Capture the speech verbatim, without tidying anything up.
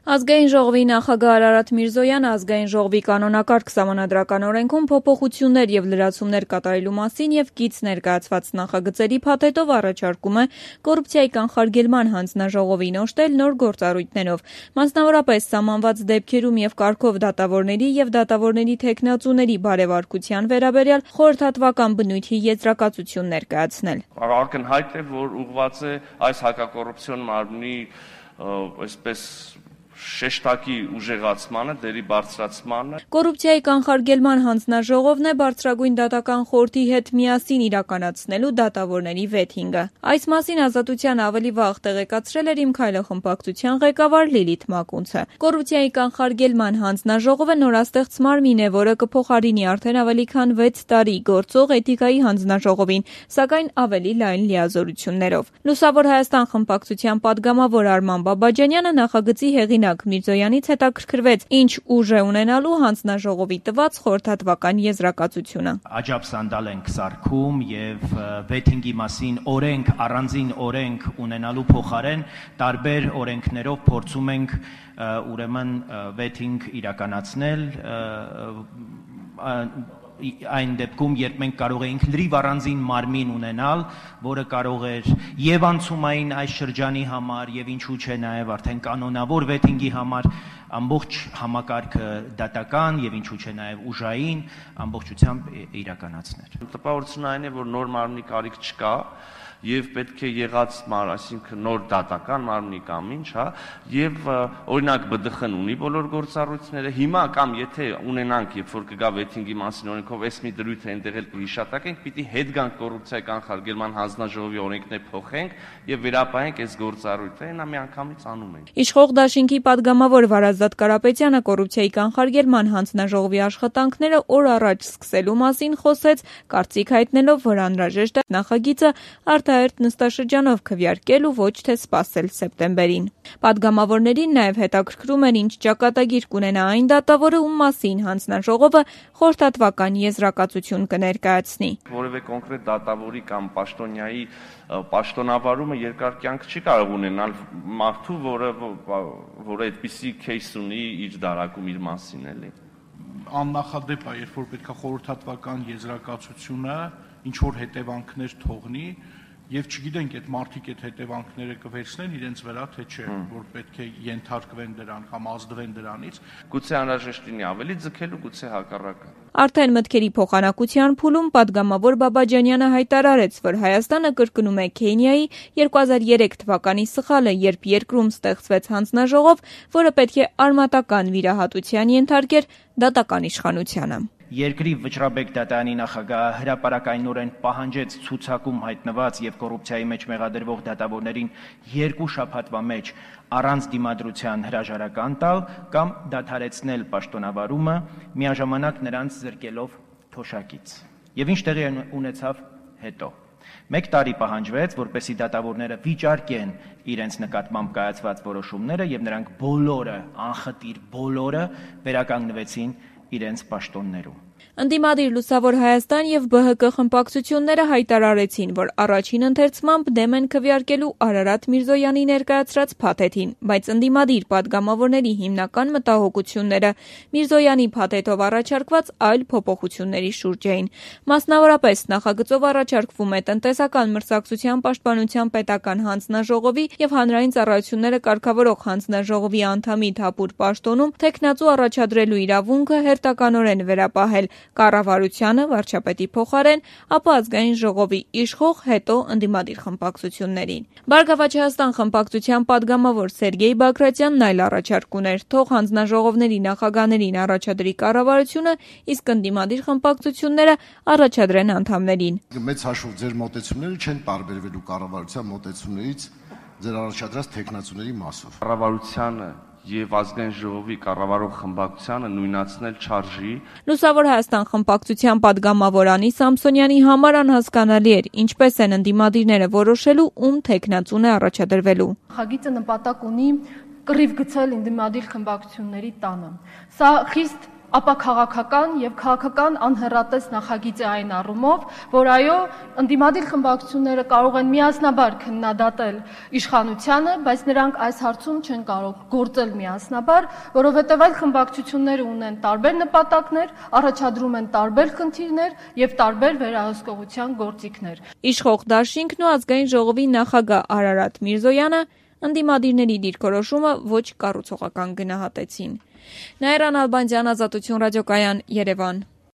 Ազգային ժողովի նախագահ Արարատ Միրզոյանը ազգային ժողովի կանոնակարգ սահմանադրական օրենքում փոփոխություններ եւ լրացումներ կատարելու մասին եւ կից ներկայացված նախագծերի փաթեթով առաջարկում է կոռուպցիայի կանխարգելման հանձնաժողովին օժտել նոր գործառույթներով, մասնավորապես սահմանված դեպքերում եւ կարգով դատավորների եւ դատավորների թեկնածուների բարեվարկության վերաբերյալ խորհրդատվական բնույթի եզրակացություն ներկայացնել։ Ակնհայտ է, որ ուղղված է այս հակակոռուպցիոն մարմնի այսպես շեշտակի ուժեղացմանը, դերի բարձրացմանը։ Կոռուպցիայի կանխարգելման հանձնաժողովն է բարձրագույն դատական խորհրդի հետ միասին իրականացնելու դատավորների վեթինգը։ Այս մասին Ազատության ավելի վաղ տեղեկացրել էր Իմ քայլը խմբակցության ղեկավար Լիլիթ Մակունցը։ Կոռուպցիայի կանխարգելման հանձնաժողովը նորաստեղծ մարմին է, որը կփոխարինի արդեն ավելի քան վեց տարի գործող էթիկայի հանձնաժողովին, սակայն ավելի լայն լիազորություններով։ Լուսավոր Հայաստան խմբակցության падգամավոր Արման Բաբաջանյանը նախագծի հեղինակ Միրզոյանից հետաքրքրվեց, ինչ ուժ է ունենալու հանձնաժողովի տված խորհրդատվական եզրակացությունը։ Աջափ սանդալ ենք սարքում եւ վեթինգի մասին օրենք, առանձին օրենք ունենալու փոխարեն տարբեր օրենքներով փորձում ենք ուրեմն վեթինգ իրականացնել այն դեպքում, երբ մենք կարող էինք լրիվ առանձին մարմին ունենալ, որը կարող էր եւ անցումային այս շրջանի համար եւ ինչու՞ չէ նաեւ արդեն կանոնավոր վեթինգի համար ամբողջ համակարգը դատական եւ ինչու՞ չէ նաեւ ուժային ամբողջությամբ իրականացնել։ Տպավորությունն այն է, որ նոր մարմնի կարիք չկա եւ պետք է եղած մար, այսինքն նոր դատական մարմնի կամ ինչ, հա, եւ օրինակ Բ Դ Խ-ն ունի բոլոր գործառույթները, հիմա կամ եթե ունենանք, երբ որ կգա վեթինգի մասին օրենքով էս մի դրույթը այնտեղ էլ կհիշատակենք, պիտի հետ գանք կոռուպցիայի կանխարգելման հանձնաժողովի օրենքներ փոխենք եւ վերապահենք այս գործառույթը, այնա միանգամից անում ենք։ Իշխող դաշինքի падգամավոր Վարազդատ Կարապետյանը կոռուպցիայի կանխարգելման հանձնաժողովի աշխատանքները օր առաջ սկսելու մասին խոսեց, կարծիք հայտնելով, որ անհրաժեշտ է նախագիծը արտահերթ նստաշրջանով քվեարկել ու ոչ թե սպասել սեպտեմբերին։ Падգամավորներին նաև հետաքրքրում էր, ինչ ճակատագիր կունենա այն դատավորը, ում մասին հանձնաժողովը խորհրդատվական եզրակացություն կներկայացնի։ Որևէ կոնկրետ դատավորի կամ պաշտոնյայի պաշտոնավարումը երկար կյանք չի կարող ունենալ մարդու, որը որը այդպիսի кейս ունի իր դարակում իր մասին էլի։ Աննախադեպ է, երբ որ պետք է խորհրդատվական եզրակացությունը ինչ որ հետևանքներ թողնի եւ չգիտենք այդ մարդիկ այդ հետևանքները կվերցնեն իրենց վրա թե չէ, որ պետք է ենթարկվեն դրան կամ ազդվեն դրանից։ Գուցե անհրաժեշտ լինի ավելի ձգելու, գուցե հակառակը։ Արդեն մտքերի փոխանակության փուլում падգամավոր Բաբաջանյանը հայտարարեց, որ Հայաստանը կրկնում է Քենիայի երկու հազար երեք թվականի սխալը, երբ երկրում ստեղծվեց հանձնաժողով, որը պետք է արմատական վիրահատության ենթարկեր դատական իշխանությանը։ Երկրի վճռաբեկ դատարանի նախագահը հրապարակայնորեն պահանջեց ցուցակում հայտնված եւ կոռուպցիայի մեջ մեղադրվող դատավորներին երկու շաբաթվա մեջ առանց դիմադրության հրաժարական տալ կամ դադարեցնել պաշտոնավարումը, միաժամանակ նրանց զրկելով թոշակից։ Եվ ինչ տեղի ունեցավ հետո։ Մեկ տարի պահանջվեց, որպեսզի դատավորները վիճարկեն իրենց նկատմամբ կայացված որոշումները եւ նրանք բոլորը, անխտիր բոլորը վերականգնվեցին իրենց պաշտոններում։ Ընդդիմադիր Լուսավոր Հայաստան եւ Բ Հ Կ խմբակցությունները հայտարարեցին, որ առաջին ընթերցմամբ դեմ են քվեարկելու Արարատ Միրզոյանի ներկայացրած փաթեթին, բայց ընդդիմադիր падգամավորների հիմնական մտահոգությունները Միրզոյանի փաթեթով առաջարկված այլ փոփոխությունների շուրջ էին։ Մասնավորապես նախագծով առաջարկվում է տնտեսական մրցակցության պաշտպանության պետական հանձնաժողովի եւ հանրային ծառայությունները կարգավորող հանձնաժողովի անդամի Թափուր պաշտոնում թեկնածու առաջադրելու իրավունքը հերթականորեն վերապահել կառավարությանը, վարչապետի փոխարեն, ապա ազգային ժողովի իշխող, հետո ընդդիմադիր խմբակցություններին։ Բարգավաճ Հայաստան խմբակցության падգամավոր Սերգեյ Բագրատյանն այլ առաջարկ ուներ, թող հանձնաժողովների նախագահներին առաջադրի կառավարությունը, իսկ ընդդիմադիր խմբակցությունները առաջադրեն անդամներին։ Մեծ հաշվով ձեր մոտեցումները չեն տարբերվելու կառավարության մոտեցումներից ձեր առաջադրած թեկնածուների մասով։ Կառավարությանը եւ ազգային ժողովի կառավարող խմբակցությանը նույնացնել չարժի։ Լուսավոր Հայաստան խմբակցության падգամավոր Անի Սամսոնյանի համար անհասկանալի էր, ինչպես են ընդդիմադիրները որոշելու, ում թեկնածուն է առաջադրվելու։ Նախագիծը նպատակ ունի կռիվ գցել ընդդիմադիր խմբակցությունների տանը։ Սա խիստ ապա քաղաքական եւ քաղաքական անհեռատես նախագիծ է այն առումով, որ այո, ընդդիմադիր խմբակցությունները կարող են միասնաբար քննադատել իշխանությանը, բայց նրանք այս հարցում չեն կարող գործել միասնաբար, որովհետեւ այլ խմբակցությունները ունեն տարբեր նպատակներ, առաջադրում են տարբեր խնդիրներ եւ տարբեր վերահսկողության գործիքներ։ Իշխող դաշինքն ու ազգային ժողովի նախագահ Արարատ Միրզոյանը ընդդիմադիրների դիրքորոշումը ոչ կառուցողական գնահատեցին։ Նաիրա Նալբանդյան, Ազատություն ռադիոկայան, Երևան։